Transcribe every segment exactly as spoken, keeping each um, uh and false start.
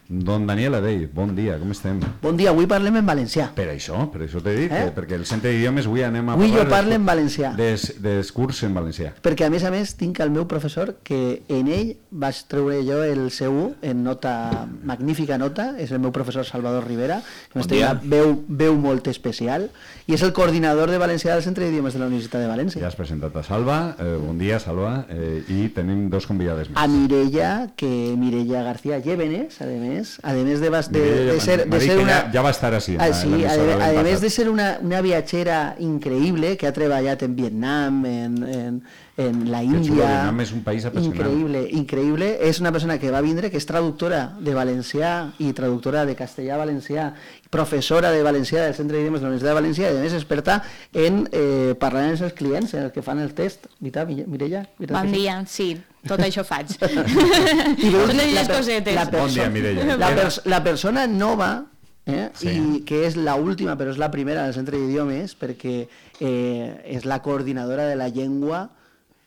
Don Daniel Adell, bon dia, com estem? Bon dia, avui parlem en valencià. Per això, per això t'he dit, eh? perquè el Centre d'Idiomes avui anem a avui parlar... Avui jo parlo en valencià. Des, des curs en valencià. Perquè a més a més tinc el meu professor que en ell vaig treure jo el C U en nota, magnífica nota, és el meu professor Salvador Rivera, que bon dia. Veu, veu molt especial, i és el coordinador de valencià del Centre d'Idiomes de la Universitat de València. Ja has presentat a Salva, eh, bon dia Salva, eh, i tenim dos convidades més. A Mireia, que Mireia García Llévenes, a més, a més de De, de ser, de ser una, ja va estar així. Ah, sí, a, a més de ser una, una viatgera increïble que ha treballat en Vietnam, en, en, en la Índia. Vietnam és un país apassionant. Increïble, increïble. És una persona que va vindre, que és traductora de valencià i traductora de castellà a valencià, professora de valencià del Centre d'Idiomes de la Universitat de València i a més experta en eh, parlar amb els clients, en els que fan el test. Veritat, Mireia? Bon dia, sí. Tot això faig. I veus, la, cosetes. La, bon dia, Mireia. La, pers la persona nova, eh, sí. i que és l'última, però és la primera del Centre d'Idiomes, perquè eh, és la coordinadora de la llengua,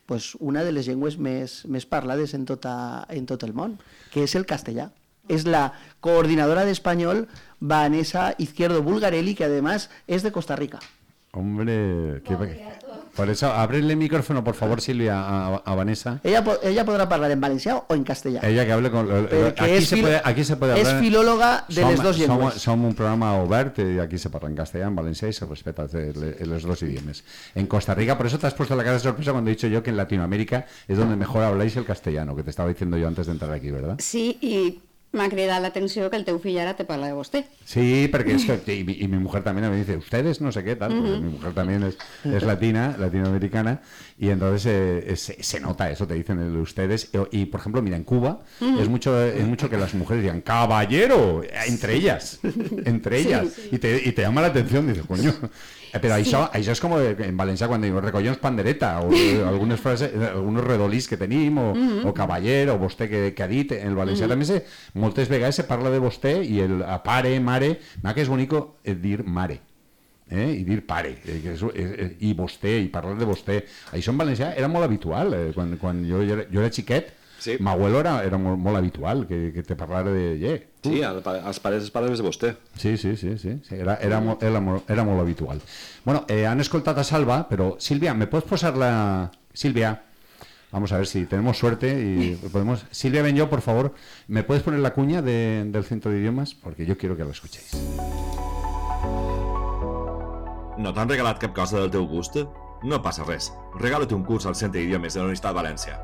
pues, una de les llengües més, més parlades en, tota, en tot el món, que és el castellà. És la coordinadora d'espanyol Vanessa Izquierdo Bulgarelli, que además es de Costa Rica. Hombre, qué... Por eso, ábrele el micrófono, por favor, Silvia, a, a Vanessa. Ella, ella podrá hablar en valencià o en castellà. Ella que hable con... Aquí se, puede, aquí se puede hablar... És filòloga de som, les dues llengües. Som, som un programa obert i aquí se parla en castellà, en valencià i se respeta los dos idiomas. En Costa Rica, por eso te has puesto la cara de sorpresa cuando he dicho yo que en Latinoamérica es donde mejor habláis el castellano, que te estaba diciendo yo antes de entrar aquí, ¿verdad? Sí, y... m'ha cridat l'atenció que el teu fill ara te parla de vostè. Sí, porque es que, y, y mi mujer también me dice, ustedes no sé qué tal, porque uh-huh. mi mujer también es, es latina, latinoamericana, y entonces eh, se, se nota eso, te dicen el ustedes, y, y por ejemplo, mira, en Cuba uh-huh. es mucho es mucho que las mujeres digan, caballero, entre ellas, entre ellas, sí, sí. Y, te, y te llama la atención, dices, coño... Pero sí. això, això és com en valencià quan diuen recollons pandereta o algunes frases, alguns redolís que tenim o, mm-hmm. o cavaller o vostè que, que ha dit en el valencià mm-hmm. també se, moltes vegades se parla de vostè i el a pare, mare, m'ha que és bonico dir mare eh? I dir pare eh, que és, eh, i vostè, i parlar de vostè això en valencià era molt habitual eh? quan, quan jo, era, jo era xiquet sí. M'abuelo era, era molt, molt habitual que, que te parlara de yeah. Sí, als pares es parles de vostè. Sí, sí, sí, sí. Era, era, molt, era, molt, era molt habitual. Bueno, eh, han escoltat a Salva, però Silvia, ¿me puedes posar la... Silvia, vamos a ver si tenemos suerte y podemos... Silvia Benyo, por favor, ¿me puedes poner la cuña de, del Centro de Idiomas? Porque yo quiero que la escuchéis. No t'han regalat cap cosa del teu gust? No passa res. Regala't un curs al Centre d'Idiomes de la Universitat de València.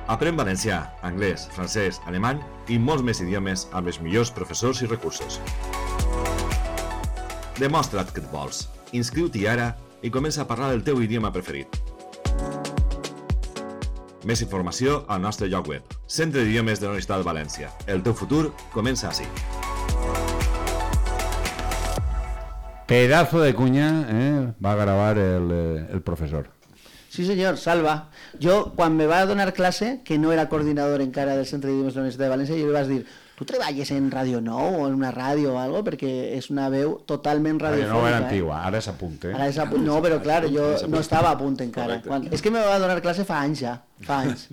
Aprèn valencià, anglès, francès, alemany i molts més idiomes amb els millors professors i recursos. Demostra't que et vols. Inscriu-t'hi ara i comença a parlar el teu idioma preferit. Més informació al nostre lloc web, Centre d'Idiomes de la Universitat de València. El teu futur comença així. Pedazo de cuña eh, va a gravar el, el profesor. Sí, senyor, Salva. Jo, quan me va donar classe, que no era coordinador encara del Centre d'Idiomes de la Universitat de València, jo li vaig dir, tu treballes en Radio Nou o en una ràdio o algo, perquè és una veu totalment radiofònica. Radio Nou era antigua, eh? Ara és a punt, eh? Ara és a punt. No, però clar, jo no estava a punt encara. Quan... És que me va donar classe fa anys ja, fa anys.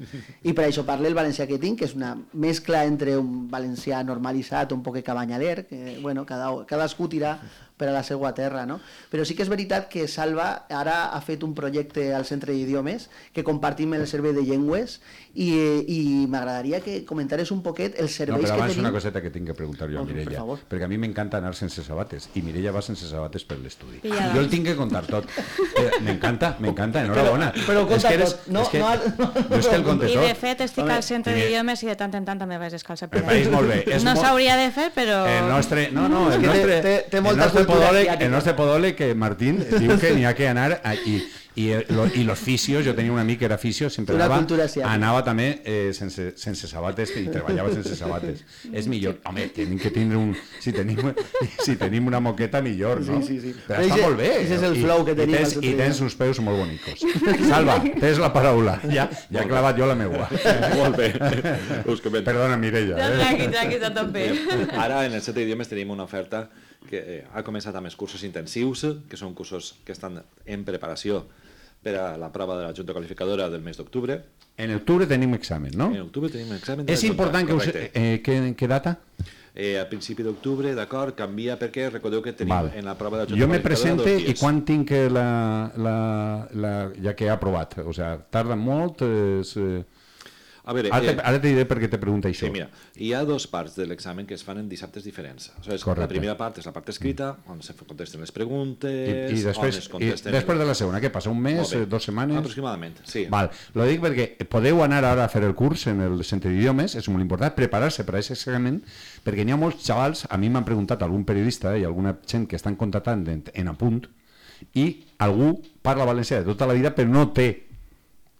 I per això parlo el valencià que tinc, que és una mescla entre un valencià normalitzat, un poc cabanyaler, que, bueno, cada, cadascú tira per a la seva terra, no? Però sí que és veritat que Salva ara ha fet un projecte al Centre d'Idiomes que compartim el servei de llengües i, i m'agradaria que comentares un poquet els serveis no, que tenim... No, però abans una coseta que tinc que preguntar jo a Mireia, per perquè a mi m'encanta anar sense sabates i Mireia va sense sabates per l'estudi. Jo el tinc que contar tot. M'encanta, m'encanta, enhorabona. Però, però conta eres, tot. No, és que, no, no, no, no és que el conte tot. I de fet estic al Centre d'Idiomes i de tant en tant també vaig descalça per allà. Molt bé. No s'hauria de fer, però... El nostre... No, no, el nostre... Té, té molta el nostre podòleg, el nostre podòleg, que Martín diu que n'hi ha que anar i... I, lo, i los fisios, jo tenia un amic que era fisio, sempre anava, anava també eh, sense, sense sabates i treballava sense sabates. És millor, home, tenim que tindre un... Si tenim, si tenim una moqueta, millor, no? Sí, sí, sí. Però està molt bé. Ese és el flow que tenim. I tens, i tens uns peus molt bonicos. Salva, tens la paraula. Ja, ja he clavat jo la meua. Molt bé. Us comento. Perdona, Mireia. Eh? Tranqui, tranqui, està tot bé. Ara, en el Centre d'Idiomes tenim una oferta que eh, ha començat amb els cursos intensius, que són cursos que estan en preparació per a la prova de la Junta Qualificadora del mes d'octubre. En octubre tenim examen, no? En octubre tenim examen de És la Junta, important que us... correcte. Eh, que, que data? Eh, a principi d'octubre, d'acord, canvia perquè recordeu que tenim Val. en la prova de la Junta Jo me Qualificadora presente dos i dies. quan tinc la, la, la, ja que he aprovat? O sea, tarda molt? És, eh... A veure, Ara, eh, te, ara te diré per què te pregunta això. sí, mira, hi ha dos parts de l'examen que es fan en dissabtes diferents. O sigui, Correcte. la primera part és la part escrita, on se contesten les I, preguntes, i, després, on es i contesten... després de la segona, què passa? Un mes, Molt bé. eh, dues setmanes? Aproximadament, sí. Val, lo dic perquè podeu anar ara a fer el curs en el centre d'idiomes, és molt important preparar-se per a aquest examen, perquè n'hi ha molts xavals, a mi m'han preguntat algun periodista i alguna gent que estan contractant en, en apunt, i algú parla valencià de tota la vida però no té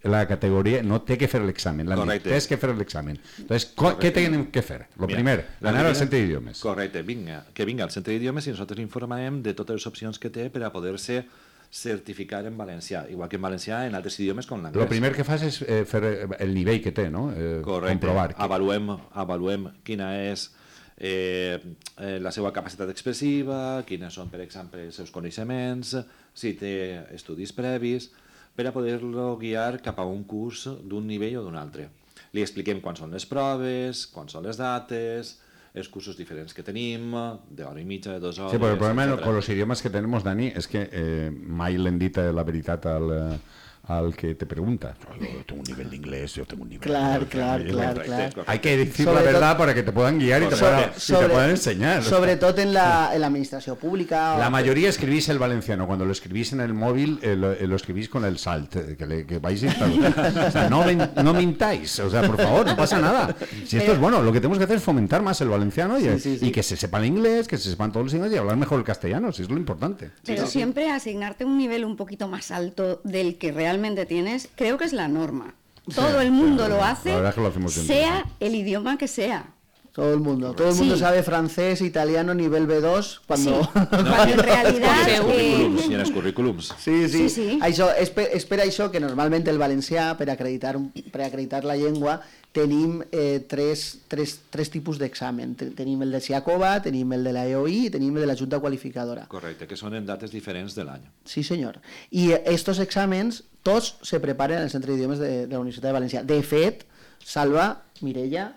la categoria, no té que fer l'examen, Correcte. tens que fer l'examen. Entonces, co- què tenim que fer? Lo Mira, primer, la anar al primera- centre d'idiomes. Correcte, vinga, que vinga al centre d'idiomes i nosaltres informarem de totes les opcions que té per a poder-se certificar en valencià, igual que en valencià en altres idiomes com l'anglès. Lo primer que fas és eh, fer el nivell que té, no? Eh, Correcte, comprovar. Que... avaluem, avaluem quina és eh, eh, la seva capacitat expressiva, quines són, per exemple, els seus coneixements, si té estudis previs, per a poder-lo guiar cap a un curs d'un nivell o d'un altre. Li expliquem quan són les proves, quan són les dates, els cursos diferents que tenim, d'hora i mitja, de dues hores... Sí, però el problema etcétera. con los idiomas que tenemos, Dani, es que eh, mai l'hem dit la veritat al, eh, al que te pregunta. Yo tengo un nivel de inglés, yo tengo un nivel Claro, de... claro, claro, Correcte, claro. correcte. Hay que decir Sobre la verdad tot- para que te puedan guiar y te Sobre- puedan, y te puedan enseñar. Sobretot en la, en la administració pública. La o- mayoría escribís el valenciano. Cuando lo escribís en el móvil, eh, lo, eh, lo escribís con el salt, eh, que, le, que vais a instalar. O sea, no, ven- no mintáis. O sea, por favor, no pasa nada. Si esto es bueno, lo que tenemos que hacer es fomentar más el valenciano y, Sí, sí, sí. y que se sepa el inglés, que se sepan todos los ingleses y hablar mejor el castellano, si es lo importante. Pero siempre asignarte un nivel un poquito más alto del que realmente tienes, creo que es la norma. Todo el mundo sí, lo la hace, verdad es que lo hacemos siempre, sea el idioma que sea. Todo el mundo. Todo el mundo Sí. sabe francés, italiano, nivel B dos, cuando... Sí, cuando en realidad... En els eh, currículums, i en els currículums. Sí, sí. Sí, sí. Això, és, per, és per això que normalment el valencià, per acreditar, un- per acreditar la llengua, tenim eh, tres, tres, tres tipus d'examen. Te- Tenim el de SIACOBA, tenim el de la E O I i tenim el de la Junta Qualificadora. Correcte, que són en dates diferents de l'any. Sí, senyor. I estos exàmens tots se preparen en el Centre d'Idiomes de, de la Universitat de València. De fet, Salva, Mireia,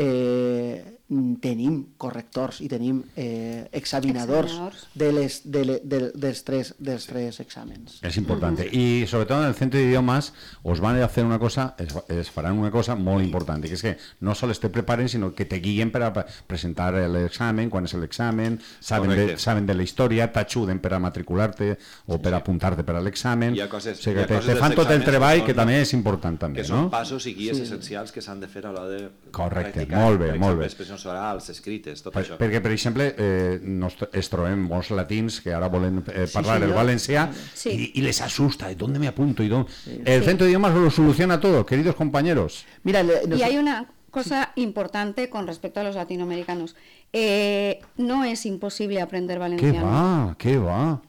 eh, tenim correctors i tenim eh, examinadors, Examinadors. de les, de, le- de, dels, tres, dels tres exàmens. Es importante. Y sobre todo en el centro de idiomas os van a hacer una cosa, es, es farán una cosa muy importante, que es que no solo te preparen, sino que te guíen para pa- presentar el examen, cuál es el examen, saben de, Correcte. saben de la historia, t'ajuden para matricularte o para apuntarte para el examen. Hi ha coses- o sigui, hi ha que te, coses te dels fan tot el exàmens que treball, són- que també és important també, Que són no? passos i guies essencials que s'han de fer a l'hora de Correcte, practicar, molt bé, per molt exemple, bé. expressions orals, escrites, tot Per, això. perquè, per exemple, eh, nos, es trobem molts latins que ara volen eh, parlar el senyor. valencià Sí. y, y les asusta, ¿dónde me apunto? ¿Y dónde? El centro de idiomas lo soluciona todo, queridos compañeros. Mira, le- nos- Y hay una cosa importante con respecto a los latinoamericanos. Eh, no es imposible aprender ¿Qué valenciano. va? ¿Qué va?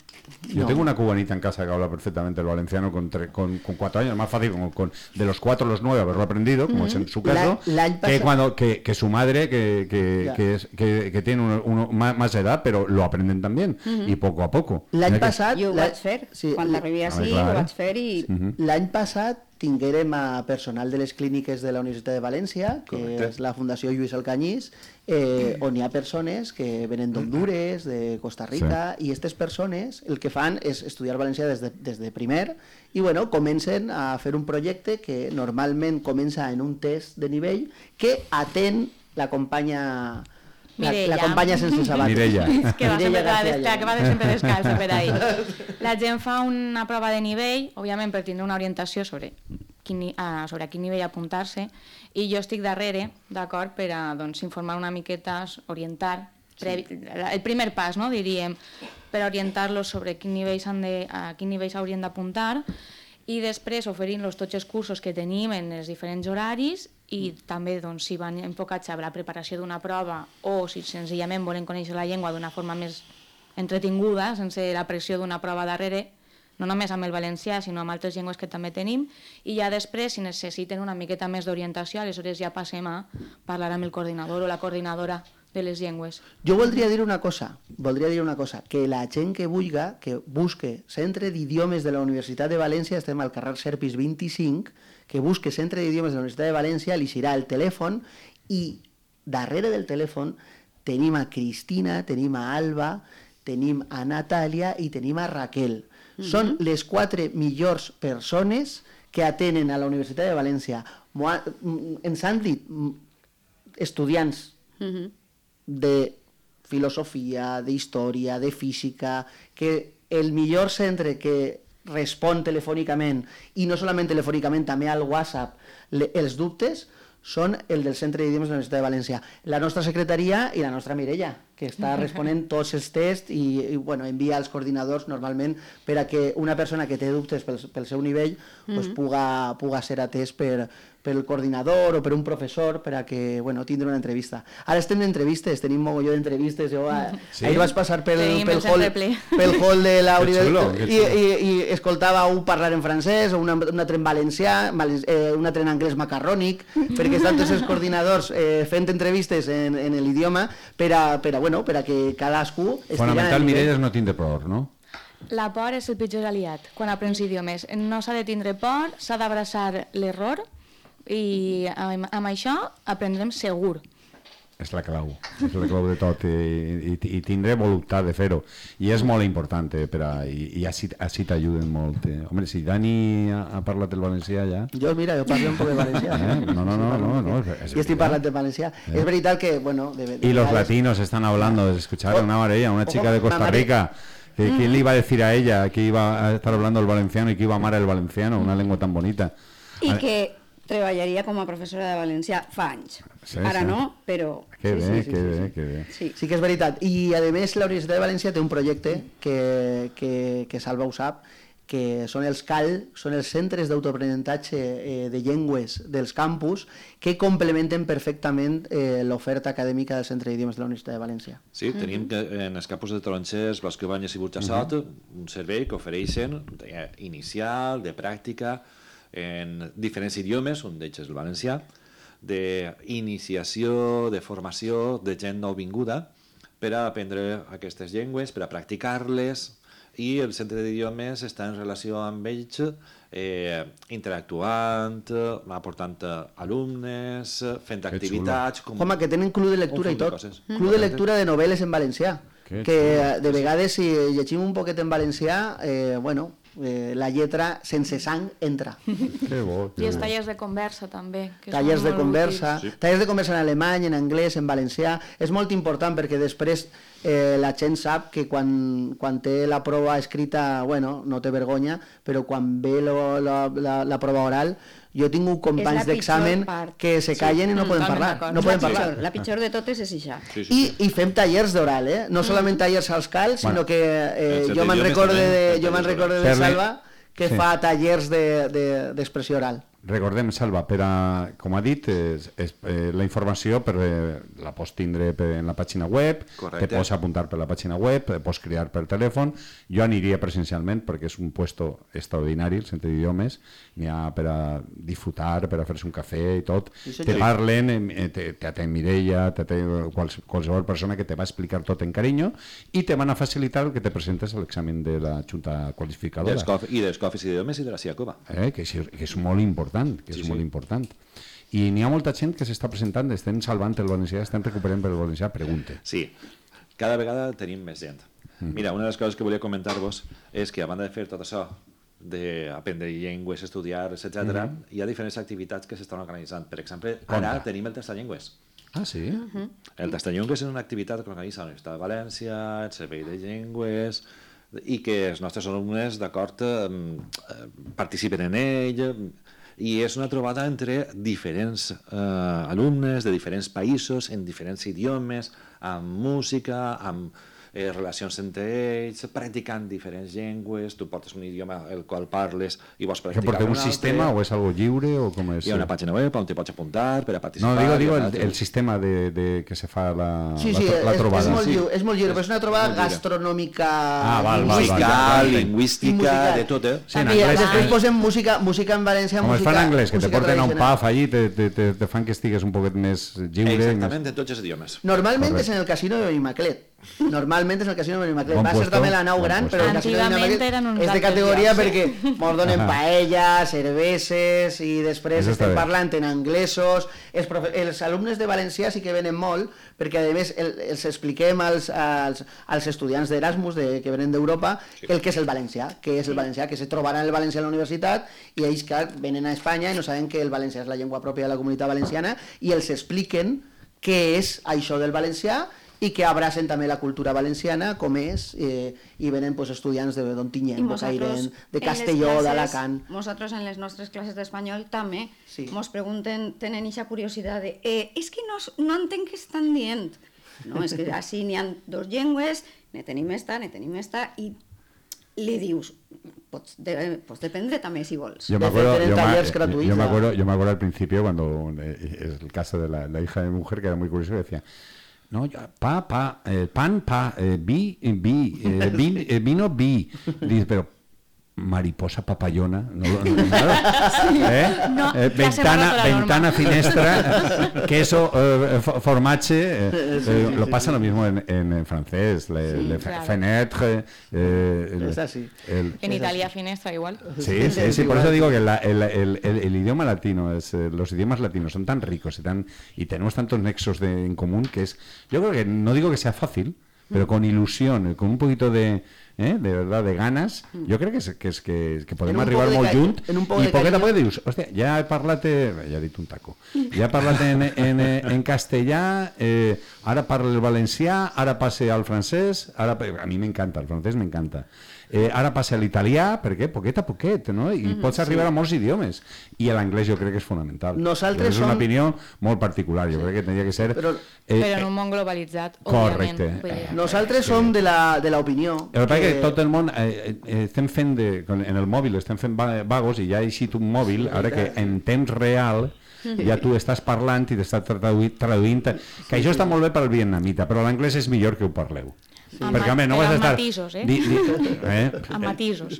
Yo No. tengo una cubanita en casa que habla perfectamente el valenciano con, tre- con, con cuatro años, más fácil con, con- de los cuatro a los nueve haberlo aprendido, como es en su caso, La- l'any que, passat- cuando, que, que su madre, que, que, Ya. que, es- que, que tiene uno, uno más, más edad, pero lo aprenden también, y poco a poco. l'any Mira que- passat... Jo ho la- vaig fer. sí, Quan arribi Ah, així, clar. ho vaig fer i... L'any passat tinguérem a personal de les clíniques de la Universitat de València, que Correcte. és la Fundació Lluís Alcanyís, eh, on hi ha persones que venen d'Honduras, de Costa Rica, i aquestes persones el que fan és estudiar valencià des de, des de primer i bueno, comencen a fer un projecte que normalment comença en un test de nivell que atén la companya... La, Mireia. la companya sense sabates. Mireia. que va, sempre, Mireia va, García des, Llana. que va de sempre descalça per ahí. La gent fa una prova de nivell, òbviament per tindre una orientació sobre quin, ni- ah, sobre a quin nivell apuntar-se, i jo estic darrere, d'acord, per a doncs, informar una miqueta, orientar, previ, el primer pas, no, diríem, per orientar-los sobre quin nivell s'han de, a quin nivell s'haurien d'apuntar, i després oferint-los tots els cursos que tenim en els diferents horaris i també doncs, si van enfocats a la preparació d'una prova o si senzillament volen conèixer la llengua d'una forma més entretinguda, sense la pressió d'una prova darrere, no només amb el valencià, sinó amb altres llengües que també tenim, i ja després, si necessiten una miqueta més d'orientació, aleshores ja passem a parlar amb el coordinador o la coordinadora de les llengües. Jo voldria dir una cosa, voldria dir una cosa, que la gent que vulga, que busque Centre d'Idiomes de la Universitat de València, estem al carrer Serpis vint-i-cinc, que busque Centre d'Idiomes de la Universitat de València, li serà el telèfon i darrere del telèfon tenim a Cristina, tenim a Alba, tenim a Natàlia i tenim a Raquel. Mm-hmm. Són les quatre millors persones que atenen a la Universitat de València. Ens han dit estudiants mm-hmm. de filosofia, d'història, de física, que el millor centre que respon telefònicament, i no solament telefònicament, també al WhatsApp, le, els dubtes, són el del Centre d'Idiomes de la Universitat de València. La nostra secretaria i la nostra Mireia, que està responent tots els tests i, i bueno, envia als coordinadors normalment per a que una persona que té dubtes pel, pel seu nivell mm-hmm. pues, puga, puga ser atès per, pel coordinador o per un professor per a que, bueno, tindre una entrevista. Ara estem d'entrevistes, tenim mogolló d'entrevistes. Jo sí? ahir vaig passar pel, pel, hall, pel hall de l'Auri i, i, i escoltava un parlar en francès, o un, un altre en valencià, eh, un altre en anglès macarrònic, perquè estan tots els coordinadors eh, fent entrevistes en, en l'idioma per a, per a, bueno, per a que cadascú estigui... Fonamental, Mireia, és no tindre por, no? La por és el pitjor aliat quan aprens idiomes. No s'ha de tindre por, s'ha d'abraçar l'error i amb, amb això aprendrem segur. És la clau, és la clau de tot i, i, i tindré voluntat de fer-ho i és molt important eh, per a, i, i així, així t'ajuden molt eh. Home, si Dani ha, ha parlat el valencià ja... Jo, mira, jo parlo un poc de valencià eh? No, no, no, no, no és, i estic parlant de valencià eh? És veritat que, bueno... De, de y los latinos están hablando, escucharon una María, una chica de Costa Rica que, ¿quién le iba a decir a ella que iba a estar hablando el valenciano y que iba a amar el valenciano, una lengua tan bonita? I que treballaria com a professora de valencià fa anys. Sí, Ara sí. no, però... Que bé, sí, sí, sí, que sí, bé, sí. que bé. Sí. sí que és veritat. I, a més, la Universitat de València té un projecte que, que, que Salva ho sap, que són els C A L, són els centres d'autoaprenentatge eh, de llengües dels campus, que complementen perfectament eh, l'oferta acadèmica del Centre d'Idiomes de la Universitat de València. Sí, tenim que en els campus de Tronxers, Blasco Ibáñez i Burjassot, uh -huh. un servei que ofereixen inicial, de pràctica, en diferents idiomes, un d'ells és el valencià, d'iniciació, de formació de gent nouvinguda per a aprendre aquestes llengües, per a practicar-les, i el centre d'idiomes està en relació amb ells eh, interactuant, aportant alumnes, fent activitats... Com... Home, que tenen club de lectura i tot. Club de lectura de novel·les en valencià. Que, que de vegades si llegim un poquet en valencià, eh, bueno... Eh, la lletra sense sang entra. Que bo, que I els bo. tallers de conversa també. Que tallers de conversa, sí. tallers de conversa en alemany, en anglès, en valencià. És molt important perquè després eh, la gent sap que quan, quan té la prova escrita, bueno, no té vergonya, però quan ve lo, la, la, la prova oral, jo he tingut companys d'examen que se callen sí. i no poden parlar. No poden la, parlar. Pitjor, la pitjor de totes és això. Sí, sí, sí. I, I fem tallers d'oral, eh? No solament tallers als C A L, sinó bueno, que eh, jo me'n recorde de, jo me'n recorde de Salva que sí. fa tallers d'expressió de, de, oral. Recordem, Salva, per a, com ha dit, és, és, eh, la informació per, eh, la pots tindre per, en la pàgina web, correcte. Te pots apuntar per la pàgina web, te pots crear per telèfon. Jo aniria presencialment perquè és un puesto extraordinari, el centre d'idiomes, n'hi ha per a disfrutar, per a fer-se un cafè i tot. Sí, te parlen, eh, te, te atén Mireia, te atén quals, qualsevol persona que te va explicar tot en carinyo i te van a facilitar el que te presentes a l'examen de la Junta Qualificadora. I dels cofis d'idiomes i de la Siacoba. Eh, que, que és molt important. que és sí, molt sí. important. I n'hi ha molta gent que s'està presentant, estem salvant el valencià, estem recuperant per el valencià, pregunte. Sí, cada vegada tenim més gent. Mm. Mira, una de les coses que volia comentar-vos és que a banda de fer tot això, d'aprendre llengües, estudiar, etcètera, mm -hmm. hi ha diferents activitats que s'estan organitzant. Per exemple, ara Conta. tenim el Tastallengües. Ah, sí? Mm -hmm. El Tastallengües és una activitat que organitza la Universitat de València, el Servei de Llengües, i que els nostres alumnes, d'acord, eh, participen en ell, i és una trobada entre diferents eh, alumnes de diferents països, en diferents idiomes, amb música, amb eh, relacions entre ells, practicant diferents llengües, tu portes un idioma el qual parles i vols practicar ¿Que porta un sistema o es algo lliure o com és? Hi ha una pàgina web on te pots apuntar per a participar. No, digo, digo el, el sistema de, de que se fa la, sí, sí, la, la trobada. És, és, molt sí. lliure, és molt lliure, però és una trobada gastronòmica, ah, val, musical, val, val. lingüística, de tot, eh? Sí, en I anglès, després eh? posem música, música en valencià, com música, es fa en anglès, que te porten a un tradicional. pub allí, te, te, te, te fan que estigues un poquet més lliure. Exactament, en tots els idiomes. Normalment Correcte. és en el casino de Benimaclet. Normalment és el casino de Benimaclet. Bon Va ser puesto, també la nau bon gran, puesto. però el casino de Antigament eren Benimaclet uns és de altres categoria llocs. perquè mos donen paella, cerveses i després Eso està estem bé. parlant en anglesos. Els, profe... els alumnes de valencià sí que venen molt perquè a més el, els expliquem als, als, als estudiants d'Erasmus de, que venen d'Europa el que és el valencià, que és el valencià, que se trobaran el valencià a la universitat i ells que venen a Espanya i no saben que el valencià és la llengua pròpia de la comunitat valenciana i els expliquen què és això del valencià i que abracen també la cultura valenciana com és, eh, i venen pues, estudiants de d'Ontinyent, de Cairén, de Castelló, d'Alacant. Nosaltres en les nostres classes d'espanyol també Sí. mos pregunten, tenen aquesta curiositat de eh, és que no, no entenc què estan dient. No, és que així n'hi ha dos llengües, ne tenim esta, ne tenim esta, i li dius, pots, de, pots dependre també si vols. Yo me De acuerdo, hacer yo, talleres me, gratuitos. yo me acuerdo, yo me acuerdo al principio cuando eh, es el caso de la, la hija de mi mujer que era muy curioso, que decía, no, yo, pa, pa, eh, pan, pa, eh, vi, vi, eh, vin, eh, vino, vi. Dice, pero mariposa papayona, no, no, no, claro. ¿Eh? No, Eh, ya se ventana, borra toda la ventana, norma. finestra, queso, eh, fo- formache, eh, eh, lo pasa lo mismo en, en, en francés, le, Sí, le claro. fenêtre, eh, el- Es así. el- En Italia finestra igual. Sí, sí, sí, por eso digo que la- el, el- el- el idioma latino, es, eh, los idiomas latinos son tan ricos y, tan, y tenemos tantos nexos de, en común que es, yo creo que no digo que sea fácil, pero con ilusión, con un poquito de, eh, de verdad, de ganas, yo creo que es que, es, que, que podemos un arribar poco de molt ca- junt en un poco i de poquet a cariño. poquet dius, hòstia, ja he parlat, ja he dit un taco, ja he parlat en, en, en castellà, eh, ara parlo el valencià, ara passe al francès, ara, a mi m'encanta, el francès m'encanta. Eh, ara passa a l'italià, perquè poquet a poquet, no? I mm, pots arribar sí. a molts idiomes. I l'anglès jo crec que és fonamental. Nosaltres és una som... opinió molt particular, jo sí. crec que tenia que ser... Però, eh, Però en un món globalitzat, correcte. òbviament. Vull dir, Nosaltres Sí. som de la, de l'opinió El que passa és que tot el món eh, eh, estem fent de, en el mòbil estem fent va- vagos i ja ha eixit un mòbil ara que en temps real ja tu estàs parlant i t'estàs traduint, traduint que això està molt bé per al vietnamita però l'anglès és millor que ho parleu. Amb Perquè, ma- home, no però vas a amb estar... matisos, eh? Di, di, eh? amb matisos.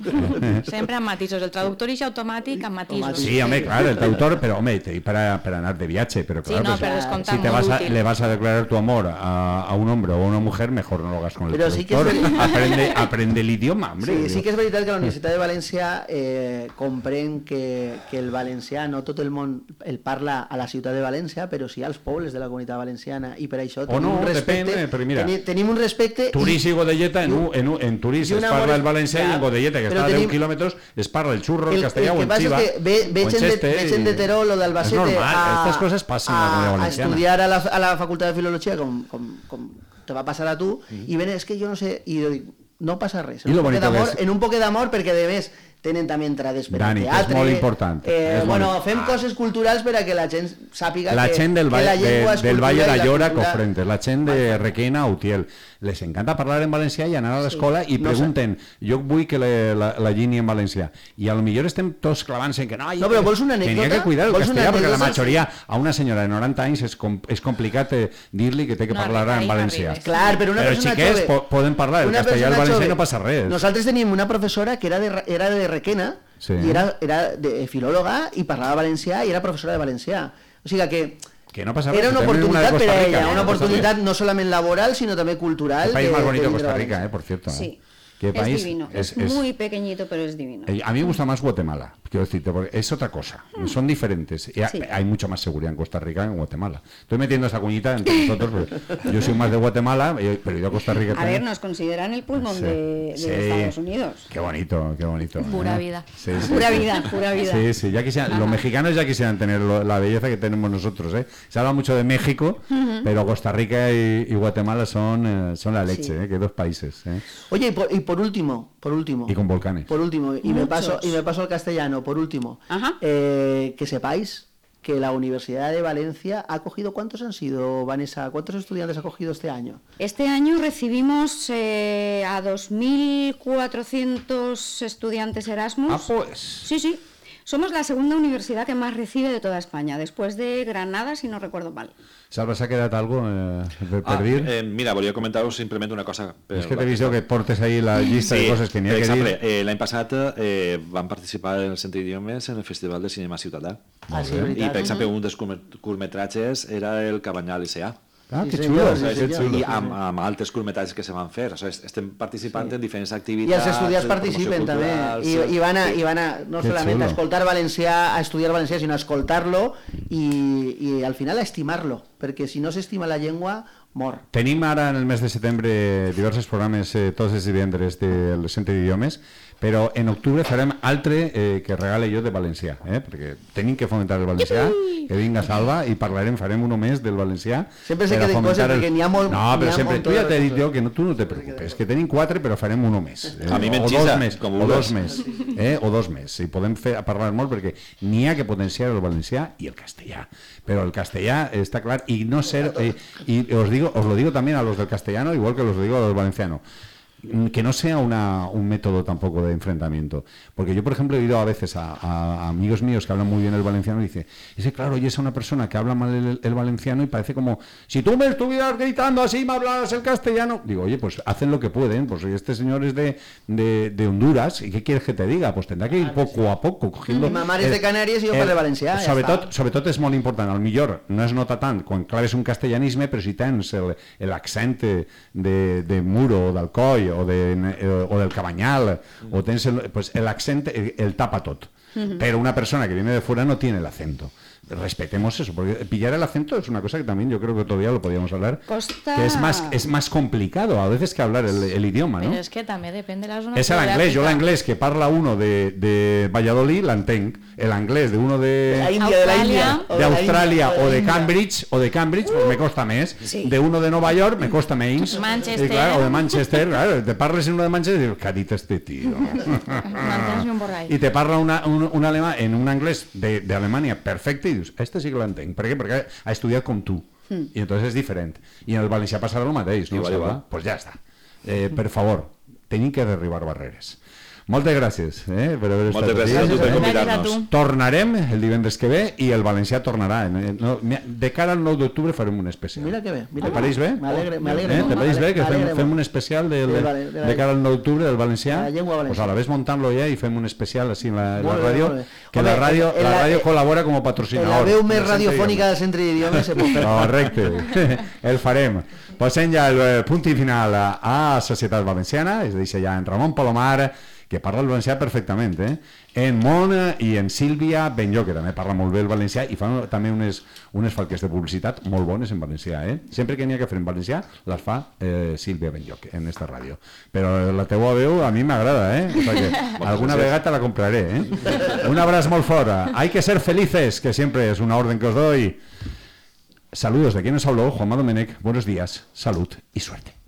Sempre amb matisos. El traductor és automàtic amb matisos. Sí, home, claro, el traductor, pero hombre, te, para, para andar de viaje, pero Sí, claro, no, pues, pero descontar, si te muy vas a, útil. le vas a declarar tu amor a, a un hombre o a una mujer, mejor no lo hagas con el Pero sí que es traductor. verdad. aprende, aprende el idioma, hombre. Sí, sí que és veritat que la Universitat de València eh, comprèn que, que el valencià no tot el món el parla a la ciutat de València, però sí als pobles de la comunitat valenciana i per això O tenim no, un respecte, depèn, però mira, teni, tenim un respecte Turís i Godelleta, en, i un- un- en, un- en Turís i un es amor parla el és- valencià i clar, en Godelleta, que però està a deu tenim- quilòmetres, es parla el xurro, el, el, castellà el o que el passa xiva. és que ve, veig, o en gent de, Cheste, veig gent de Terol o d'Albacete és normal, a, estas coses passen a la comunitat a, a valenciana. estudiar a la, a la facultat de filologia com, com, com te va passar a tu mm. i ven, és que jo no sé, i jo dic, no passa res, I en lo un, poquet bonito que d'amor, és- en un poquet d'amor perquè de més tenen també entrades per Dani, al que és teatre. molt important, Eh, és bueno, molt- fem Ah. coses culturals per a que la gent sàpiga La que, gent del, que Valle, la llengua de, és del cultura Valle i la d'Allora, cultura- Cofrentes, la gent de Requena, Utiel, les encanta parlar en valencià i anar a l'escola i No sé. pregunten, jo vull que la, la, la llini en valencià. I a lo millor estem tots clavant-se en que no, No, però vols una tenia anècdota? que cuidar el Vols una castellà, perquè la anècdota? majoria, a una senyora de noranta anys és, com, és complicat eh, dir-li que té que No parlar arriba, en no valencià. arribes. Clar, però una Però els persona xiquets jove... po poden parlar el una castellà i el persona valencià i jove. no passa res. Nosaltres teníem una professora que era de, era de Requena Sí. i era, era de filòloga i parlava valencià i era professora de valencià. O sigui que Que no passa res. era una que tenim oportunitat de per a Costa Rica, ella, no una passa oportunitat res. no solament laboral, sinó també cultural. El país de- más bonito de de vindre Costa a Rica, València. eh, por cierto. Sí. ¿eh? ¿Qué país? Es divino, Es- es, es- muy pequeñito, pero es divino. Eh, A mí me gusta más Guatemala, quiero decirte, porque es otra cosa, son diferentes. Y ha- Sí. Hay mucha más seguridad en Costa Rica que en Guatemala. Estoy metiendo esa cuñita entre nosotros, pero yo soy más de Guatemala, eh, pero yo a Costa Rica A también. ver, nos consideran el pulmón Sí. de, de Sí. Estados Unidos. Qué bonito, qué bonito. Pura ¿eh? vida. Sí, sí, Pura sí. vida, pura vida. Sí, sí, ya quisieran, los mexicanos ya quisieran tener lo- la belleza que tenemos nosotros, ¿eh? Se habla mucho de México, pero Costa Rica y, y Guatemala son, eh, son la leche, Sí. ¿eh? Que dos países, ¿eh? Oye, y por, y por último, por último. Y con volcanes. Por último, y me, Muchos. paso, y me paso al castellano, por último. Ajá. Eh, que sepáis que la Universidad de Valencia ha cogido, ¿cuántos han sido, Vanessa? ¿Cuántos estudiantes ha cogido este año? Este año recibimos eh, a dos mil cuatrocientos estudiantes Erasmus. Ah, pues. Sí, sí. Somos la segunda universidad que más recibe de toda España, después de Granada, si no recuerdo mal. Salva, s'ha quedat algo eh, per, per Ah, dir? eh, mira, volia comentar-vos simplement una cosa. És que t'he vist que portes ahí la llista sí, de coses que n'hi ha per que exemple, dir. eh, l'any passat eh, vam participar en el Centre d'Idiomes en el Festival de Cinema Ciutadà. Ah, sí, I, veritat. per exemple, un dels curtmetratges era el Cabanyal S A. Ah, Sí, que senyor, xulo, sí, que senyor. xulo. I amb, amb altres curtmetratges que se van fer. O sigui, estem participant Sí. en diferents I activitats. els estudiants de participen promoció també, cultural, i, sí. i, van a, Sí. i van a no Que solament xulo. a escoltar valencià, a estudiar valencià, sinó a escoltar-lo i, i al final a estimar-lo, perquè si no s'estima la llengua, mor. Tenim ara en el mes de setembre diversos programes eh, tots els divendres del Centre d'Idiomes, però en octubre farem altre eh, que regale jo de valencià, eh? Perquè tenim que fomentar el valencià, que vinga Salva, i parlarem, farem uno més del valencià. Sempre se per a queden fomentar coses, perquè n'hi ha molt- No, n'hi però ha sempre, molt tu ja de t'he dit coses. jo que no, tu no te preocupes, que tenim quatre, però farem uno més. Eh? A mi o m'enxisa, dos més, com o vulguis. dos més, eh? o dos més. I podem fer, a parlar molt perquè n'hi ha que potenciar el valencià i el castellà. Però el castellà està clar, y no ser, eh, y os digo, os lo digo también a los del castellano, igual que los digo a los valencianos, que no sea una, un método tampoco de enfrentamiento. Porque yo, por ejemplo, he oído a veces a, a, a amigos míos que hablan muy bien el valenciano y dice, ese claro, y es una persona que habla mal el, el valenciano y parece como, si tú me estuvieras gritando así, me hablaras el castellano. Digo, oye, pues hacen lo que pueden, pues este señor es de, de, de Honduras, ¿y qué quieres que te diga? Pues tendrá que ir poco a poco, cogiendo... Mi mamá es de Canàries i jo parlo valencià, ja sobretot, està. sobretot és molt important, al millor no es nota tant quan claves un castellanisme, però si tens el- l'accent de, de Muro o d'Alcoi o, de, o del Cabanyal o tens el, pues el accent el, el tapa tot, pero una persona que viene de fuera no tiene el acento. Respetemos eso, porque pillar el acento es una cosa que también yo creo que todavía lo podíamos hablar, Costa- que es más, es más complicado a veces que hablar el, el idioma, ¿no? Però és que també depèn de la zona Es el anglès, jo geogràfica. l'anglès que parla uno de, de Valladolid l'entenc, el anglès de uno de... De la Índia, de la Índia. de Australia o de Índia. Cambridge o de Cambridge pues me costa més, Sí. de uno de Nova York me costa menys. Manchester. I, clar, o de Manchester, claro, te parles en uno de Manchester y dius, ¿qué ha dit este tío? Mantens un borrall. Y te parla una, un, un alemà en un anglès de, de Alemania perfecte i dius, este sí que l'entenc. Per què? Perquè ha estudiat com tu. I entonces és diferent. I en el valencià passarà el mateix, no? Igual, Salva? igual. Pues ja està. Eh, per favor, tenim que derribar barreres. Moltes gràcies eh, per haver estat Moltes gràcies a tu per eh? Gràcies a convidar-nos. tu. Tornarem el divendres que ve i el valencià tornarà. Eh, no, de cara al nou d'octubre farem un especial. Mira que bé. Mira Te que pareix bé? M'alegre, m'alegre. Eh, te pareix bé que fem, m'alegre fem molt. un especial del, De de, la- de la- de cara al nou d'octubre del valencià? de la llengua valenciana. Pues a la vez montant-lo ja i fem un especial així en la, en la Molt bé, ràdio, molt bé. que Home, la ràdio, en la la- ràdio en- col·labora com a En patrocinador. la veu més del Centre radiofònica del Centre d'Idiomes se pot fer. Correcte, el farem. Passem ja el eh, punt i final a, a Societat Valenciana, es deixa ja en Ramon Palomar, que parla el valencià perfectament, eh? En Mon i en Sílvia Benllo, que també parla molt bé el valencià i fa també unes, unes falques de publicitat molt bones en valencià, eh? Sempre que n'hi ha que fer en valencià, les fa eh, Sílvia Benllo en esta ràdio. Però la teua veu a mi m'agrada, eh? O sea que alguna vegada te la compraré, eh? Un abraç molt fort. Hay que ser felices, que siempre es una orden que os doy. Saludos de quien nos habló, Juanma Domenech. Buenos días, salud y suerte.